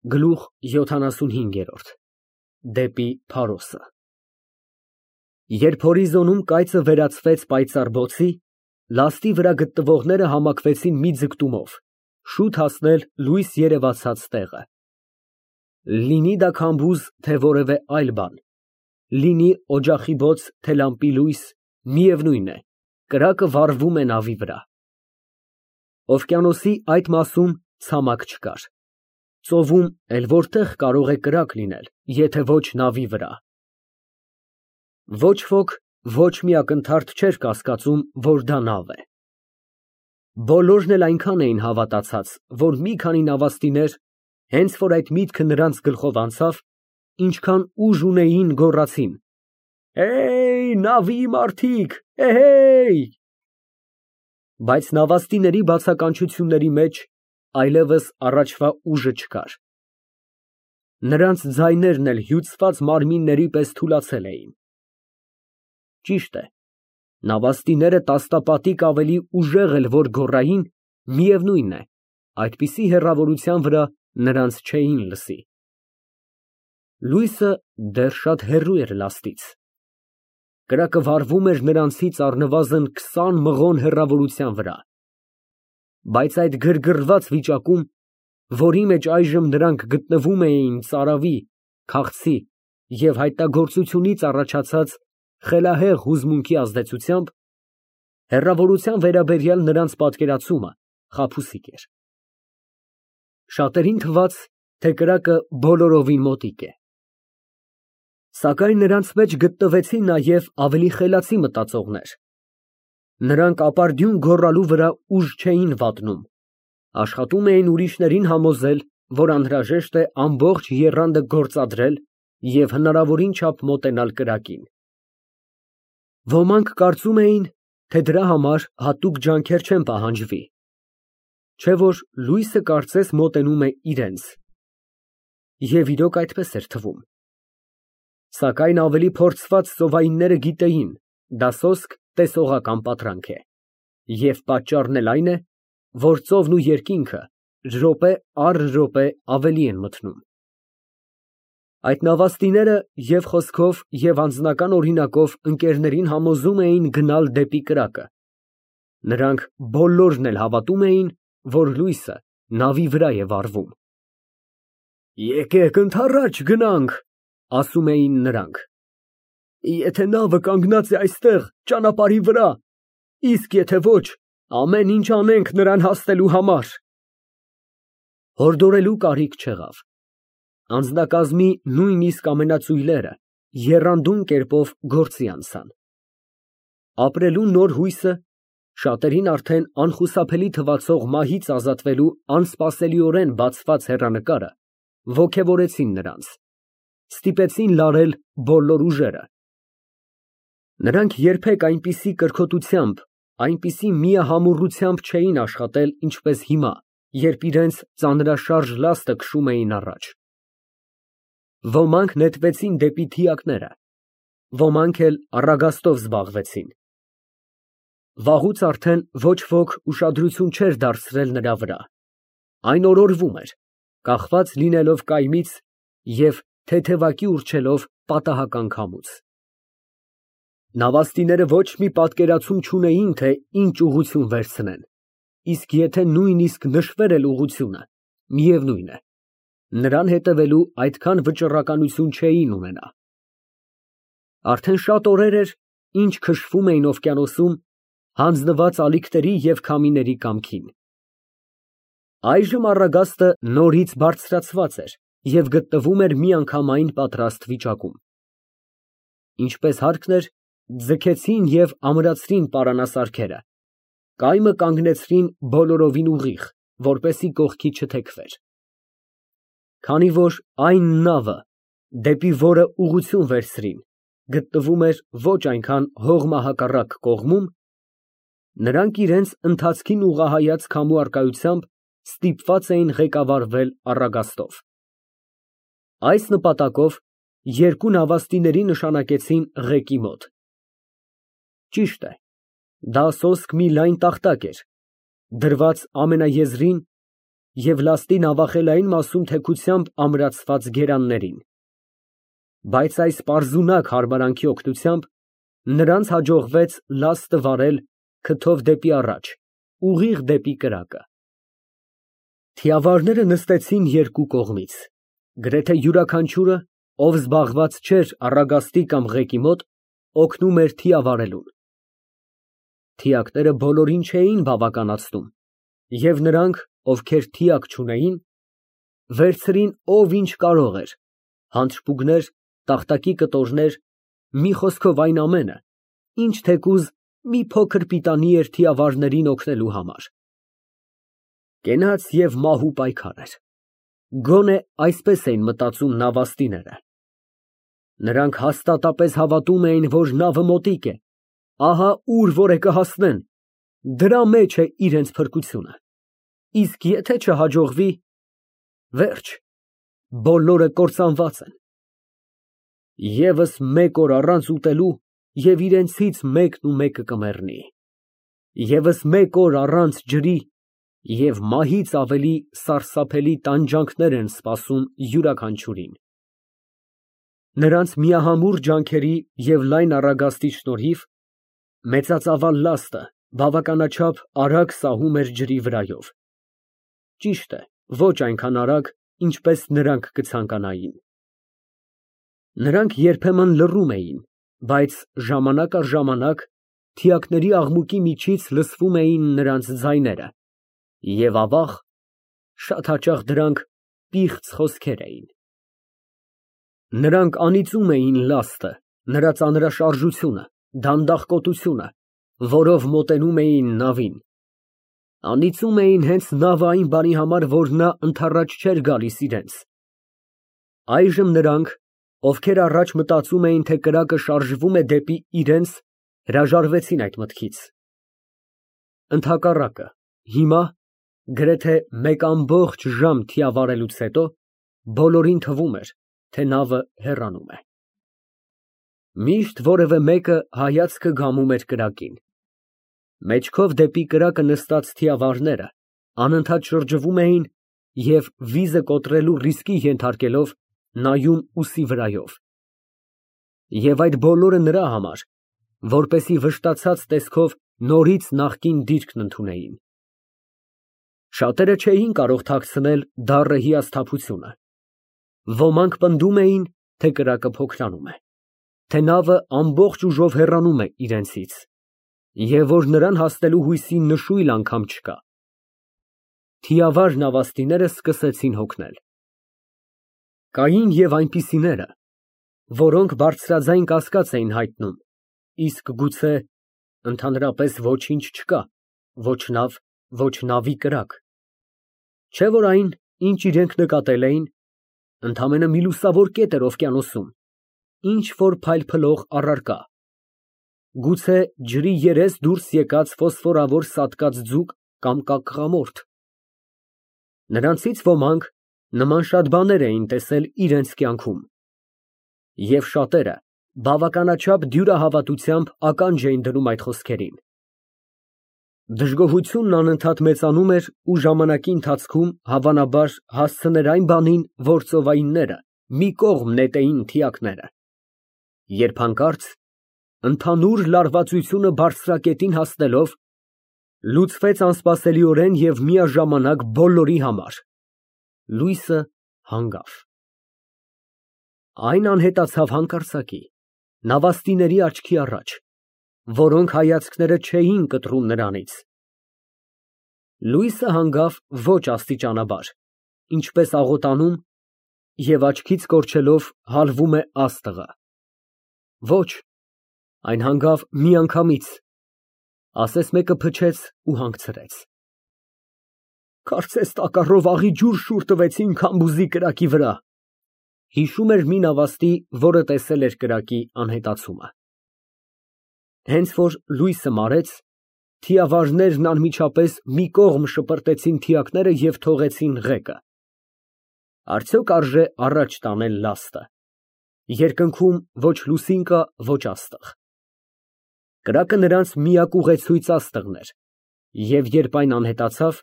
Գլուխ 75 Դեպի Փարոսը Երբ հորիզոնում կայծը վերածվեց պայծառ բոցի, լաստի վրա գտնվողները համակվեցին մի ձգտումով, շուտ հասնել լույս երևացած տեղը։ Լինի դա քամբուզ, թե որևէ այլ բան, լինի օջախի բոց, թե լամպի լույս, միևնույն է, կրակը վառվում է նավի վրա։ Օվկիանոսի այդ մասում ցամաք չկար։ Ծովում էլ որտեղ կարող է կրակ լինել, եթե ոչ նավի վրա։ Ոչ ոք ոչ մի ակնթարթ չէր կասկածում, որ դա նավ է։ Բոլորն էլ այնքան էին հավատացած, որ մի քանի նավաստիներ, հենց որ այդ միտքը նրանց գլխով անցավ, ինչքան ուժ ունեին, գոռացին. «Հեյ, նավի մարդիկ, էհեյ»։ Բայց նավաստիների բացականչությունների մեջ այլևս առաջվա ուժը չկար։ Նրանց ձայներն էլ հյուծված մարմինների պես թուլացել էին։ Ճիշտ է, նավաստիները տասնապատիկ ավելի ուժեղ էլ որ գոռային, միևնույն է, այդպիսի հեռավորության վրա նրանց չէին լսի։ Լույսը դեռ շատ հեռու էր լաստից։ Կրակը վառվում էր նրանցից առնվազն 20 մղոն հեռավորության վրա։ Բայց այդ գրգռված վիճակում, որի մեջ այժմ նրանք գտնվում էին ծարավի, քաղցի և հայտնագործությունից առաջացած խելահեղ հուզմունքի ազդեցությամբ, հեռավորության վերաբերյալ նրանց պատկերացումը խաբուսիկ էր։ Շատերին թվաց, թե կրակը բոլորովին մոտիկ է։ Սակայն նրանց մեջ գտնվեցին նաև ավելի խելացի մտածողներ։ Նրանք ապարդյուն գոռալու վրա ուժ չէին վատնում, աշխատում էին ուրիշներին համոզել, որ անհրաժեշտ է ամբողջ եռանդը գործադրել և հնարավորին չափ մոտենալ կրակին։ Ոմանք կարծում էին, թե դրա համար հատուկ ջանքեր չեն պահանջվի, չէ որ լույսը կարծես մոտենում է իրենց։ Եվ իրոք այդպես էր թվում։ Սակայն ավելի փորձված ծովայինները գիտեին, դա սոսկ տեսողական պատրանք է, և պատճառն էլ այն է, որ ծովն ու երկինքը րոպե առ րոպե ավելի են մթնում։ Այդ նավաստիները և խոսքով, և անձնական օրինակով ընկերներին համոզում էին գնալ դեպի կրակը։ Նրանք բոլորն էլ հավատում էին, որ լույսը նավի վրա է վառվում։ Եկեք ընդառաջ գնանք, ասում էին նրանք։ Եթե նավը կանգնած է այստեղ, ճանապարհի վրա, իսկ եթե ոչ, ամեն ինչ անենք նրան հասնելու համար։ Հորդորելու կարիք չեղավ։ Անձնակազմի նույնիսկ ամենածույլերը եռանդուն կերպով գործի անցան։ Ապրելու նոր հույսը, շատերին արդեն անխուսափելի թվացող մահից ազատվելու անսպասելիորեն բացված հեռանկարը ոգևորեցին նրանց, ստիպեցին լարել բոլոր ուժերը։ Նրանք երբեք այնպիսի կրքոտությամբ, այնպիսի միահամուռությամբ չէին աշխատել, ինչպես հիմա, երբ իրենց ծանրաշարժ լաստը քշում էին առաջ։ Ոմանք նետվեցին դեպի թիակները, ոմանք էլ առագաստով զբաղվեցին։ Վաղուց արդեն ոչ ոք ուշադրություն չէր դարձրել նրա վրա, այն օրորվում էր, կախված լինելով կայմից և թեթևակի ուռչելով պատահական քամուց։ Նավաստիները ոչ մի պատկերացում չունեին, թե ինչ ուղղություն վերցնեն, իսկ եթե նույնիսկ նշվեր էլ ուղղությունը, միևնույն է, նրան հետևելու այդքան վճռականություն չէին ունենա։ Արդեն շատ օրեր էր, ինչ քշվում էին օվկիանոսում, հանձնված ալիքների և քամիների կամքին։ Այժմ առագաստը նորից բարձրացված էր և գտնվում էր միանգամայն պատրաստ վիճակում։ Ինչպես հարկն էր, ձգեցին և ամրացրին պարանասարքերը, կայմը կանգնեցրին բոլորովին ուղիղ, որպեսզի կողքի չթեքվեր։ Քանի որ այն նավը, դեպի որը ուղղություն վերցրին, գտնվում էր ոչ այնքան հողմահակառակ կողմում, նրանք իրենց ընթացքին ուղղահայաց քամու առկայությամբ ստիպված էին ղեկավարվել առագաստով։ Այս նպատակով երկու նավաստիների նշանակեցին ղեկի մոտ։ Ճիշտ է, դա սոսկ մի լայն տախտակ էր, դրված ամենաեզրին և լաստի նավախելային մասում թեքությամբ ամրացված գերաններին։ Բայց այս պարզունակ հարմարանքի օգնությամբ նրանց հաջողվեց լաստը վարել քթով դեպի առաջ, ուղիղ դեպի կրակը։ Թիավարները նստեցին երկու կողմից, գրեթե յուրաքանչյուրը, ով զբաղված չէր առագաստի կամ ղեկի մոտ, օգնում էր թիավարելուն։ Թիակները բոլորին չէին բավականացնում, և նրանք, ովքեր թիակ չունեին, վերցրին ով ինչ կարող էր, հանցուկներ, տախտակի կտորներ, մի խոսքով այն ամենը, ինչ թեկուզ մի փոքր պիտանի էր թիավարներին օգնելու համար։ Կենաց և մահու պայքար էր։ Գոնե այսպես էին մտածում նավաստիները։ Նրանք հաստատապես հավատում էին, որ նավը մոտիկ է, ահա ուր որ է կհասնեն, դրա մեջ է իրենց փրկությունը, իսկ եթե չհաջողվի, վերջ, բոլորը կործանված են։ Եվս մեկ օր առանց ուտելու, և իրենցից մեկն ու մեկը կմեռնի, ևս մեկ օր առանց ջրի, և մահից ավելի սարսափելի տանջանքներ են սպասում յուրաքանչյուրին։ Նրանց միահամուռ ջանքերի և լայն առագաստի շնորհիվ մեծածավալ լաստը բավականաչափ արագ սահում էր ջրի վրայով, ճիշտ է, ոչ այնքան արագ, ինչպես նրանք կցանկանային։ Նրանք երբեմն լռում էին, բայց ժամանակ առ ժամանակ թիակների աղմուկի միջից լսվում էին նրանց ձայները, և ավաղ, շատ հաճախ դրանք պիղծ խոսքեր էին։ Նրանք անիծում էին լաստը, նրա ծանրաշարժությունը, դանդաղկոտությունը, որով մոտենում էին նավին, անիծում էին հենց նավը այն բանի համար, որ նա ընդառաջ չէր գալիս իրենց։ Այժմ նրանք, ովքեր առաջ մտածում էին, թե կրակը շարժվում է դեպի իրենց, հրաժարվեցին այդ մտքից։ Ընդհակառակը, հիմա, գրեթե մեկ ամբողջ ժամ թիավարելուց հետո, բոլորին թվում էր, թե նավը հեռանում է։ Միշտ որևէ մեկը հայացքը գամում էր կրակին։ Մեջքով դեպի կրակը նստած թիավարները անընդհատ շրջվում էին և վիզը կոտրելու ռիսկի ենթարկելով նայում ուսի վրայով։ Եվ այդ բոլորը նրա համար, որպեսզի վշտացած տեսքով նորից նախկին դիրքն ընդունեին։ Շատերը չէին կարող թաքցնել դառը հիասթափությունը։ Ոմանք պնդում էին, թե կրակը փոքրանում է, թե նավը ամբողջ ուժով հեռանում է իրենցից, և որ նրան հասնելու հույսի նշույլ անգամ չկա։ Թիավար նավաստիները սկսեցին հոգնել։ Կային և այնպիսիները, որոնք բարձրաձայն կասկած էին հայտնում, իսկ գուցե ընդհանրապես ոչինչ չկա, ոչ նավ, ոչ նավի կրակ, չէ՞ որ այն, ինչ իրենք նկատել էին, ընդամենը մի լուսավոր կետ էր օվկիանոսում, ինչ֊որ փայլփլող առարկա, գուցե ջրի երես դուրս եկած ֆոսֆորավոր սատկած ձուկ կամ կակղամորթ։ Նրանցից ոմանք նման շատ բաներ էին տեսել իրենց կյանքում, և շատերը բավականաչափ դյուրահավատությամբ ականջ էին դնում այդ խոսքերին։ Դժգոհությունն անընդհատ մեծանում էր ու ժամանակի ընթացքում, հավանաբար, հասցներ այն բանին, որ ծովայինները մի կողմ նետեին թիակները, երբ հանկարծ, ընդհանուր լարվածությունը բարձրակետին հասնելով, լուծվեց անսպասելիորեն և միաժամանակ բոլորի համար, լույսը հանգավ։ Այն անհետացավ հանկարծակի, նավաստիների աչքի առաջ, որոնք հայացքները չէին կտրում նրանից։ Լույսը հանգավ ոչ աստիճանաբար, ինչպես աղոտանում, և աչքից կորչելով հալվում է աստղը։ Ոչ, այն հանգավ միանգամից, ասես մեկը փչեց ու հանգցրեց։ Կարծես տակառով աղի ջուր շուռ տվեցին քամբուզի կրակի վրա, հիշում էր մի նավաստի, որը տեսել էր կրակի անհետացումը։ Հենց որ լույսը մարեց, թիավարներն անմիջապես մի կողմ շպրտեցին թիակները և թողեցին ղեկը։ Արդյոք արժե առաջ տանել լաստը։ Երկնքում ոչ լուսին կա, ոչ աստղ։ Կրակը նրանց միակ ուղեցույց աստղն էր, և երբ այն անհետացավ,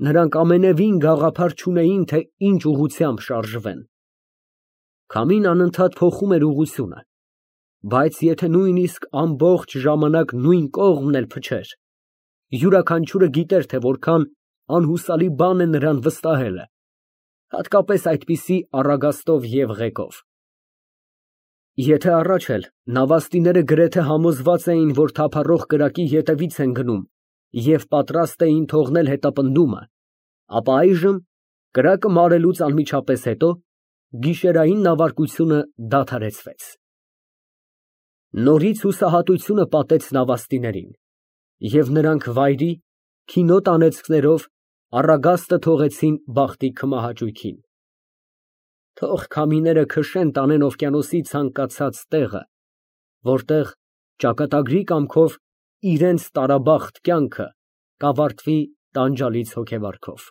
Նրանք ամենևին գաղափար չունեին, թե ինչ ուղղությամբ շարժվեն։ Քամին անընդհատ փոխում էր ուղղությունը, բայց եթե նույնիսկ ամբողջ ժամանակ նույն կողմն էլ փչեր, յուրաքանչյուրը գիտեր, թե որքան անհուսալի բան է նրան վստահելը, հատկապես այդպիսի առագաստով և ղեկով։ Եթե առաջ էլ նավաստիները գրեթե համոզված էին, որ թափառող կրակի ետևից են գնում և պատրաստ էին թողնել հետապնդումը, ապա այժմ, կրակը մարելուց անմիջապես հետո, գիշերային նավարկությունը դադարեցվեց։ Նորից հուսահատությունը պատեց նավաստիներին, և նրանք վայրի, քինոտ անեծքներով առագաստը թողեցին բախտի քմահաճույքին։ Թող քամիները քշեն տանեն օվկիանոսի ցանկացած տեղը, որտեղ ճակատագրի կամքով իրենց տարաբախտ կյանքը կավարտվի տանջալից հոգեվարքով։